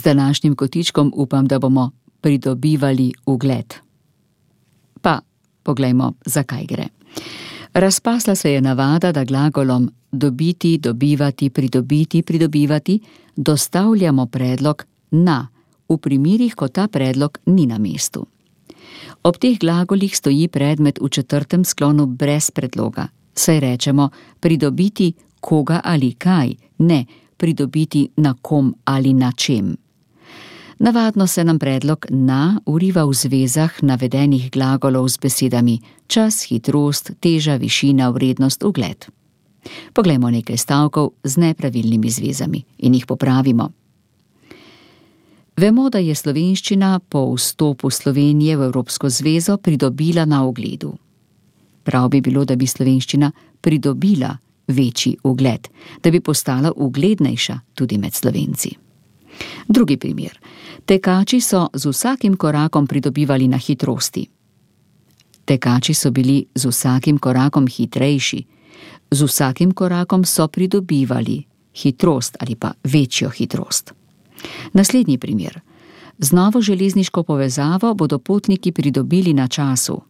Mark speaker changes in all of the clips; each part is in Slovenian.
Speaker 1: Z današnjim kotičkom upam, da bomo pridobivali ugled. Pa poglejmo, zakaj gre. Razpasla se je navada, da glagolom dobiti, dobivati, pridobiti, pridobivati dostavljamo predlog na, v primerih, ko ta predlog ni na mestu. Ob teh glagolih stoji predmet v četrtem sklonu brez predloga, saj rečemo pridobiti koga ali kaj, ne pridobiti na kom ali na čem. Navadno se nam predlog na vriva v zvezah navedenih glagolov z besedami čas, hitrost, teža, višina, vrednost, ugled. Poglejmo nekaj stavkov z nepravilnimi zvezami in jih popravimo. Vemo, da je slovenščina po vstopu Slovenije v Evropsko zvezo pridobila na ugledu. Prav bi bilo, da bi slovenščina pridobila večji ugled, da bi postala uglednejša tudi med Slovenci. Drugi primer. Tekači so z vsakim korakom pridobivali na hitrosti. Tekači so bili z vsakim korakom hitrejši. Z vsakim korakom so pridobivali hitrost ali pa večjo hitrost. Naslednji primer. Z novo železniško povezavo bodo potniki pridobili na času.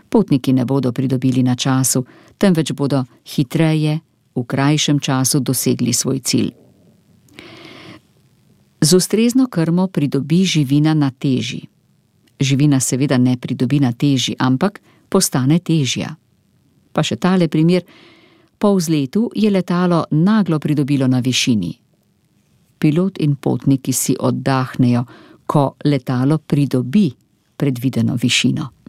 Speaker 1: Potniki ne bodo pridobili na času, temveč bodo hitreje, v krajšem času dosegli svoj cilj. Z ustrezno krmo pridobi živina na teži. Živina seveda ne pridobi na teži, ampak postane težja. Pa še tale primer. Po vzletu je letalo naglo pridobilo na višini. Pilot in potniki si oddahnejo, ko letalo pridobi predvideno višino.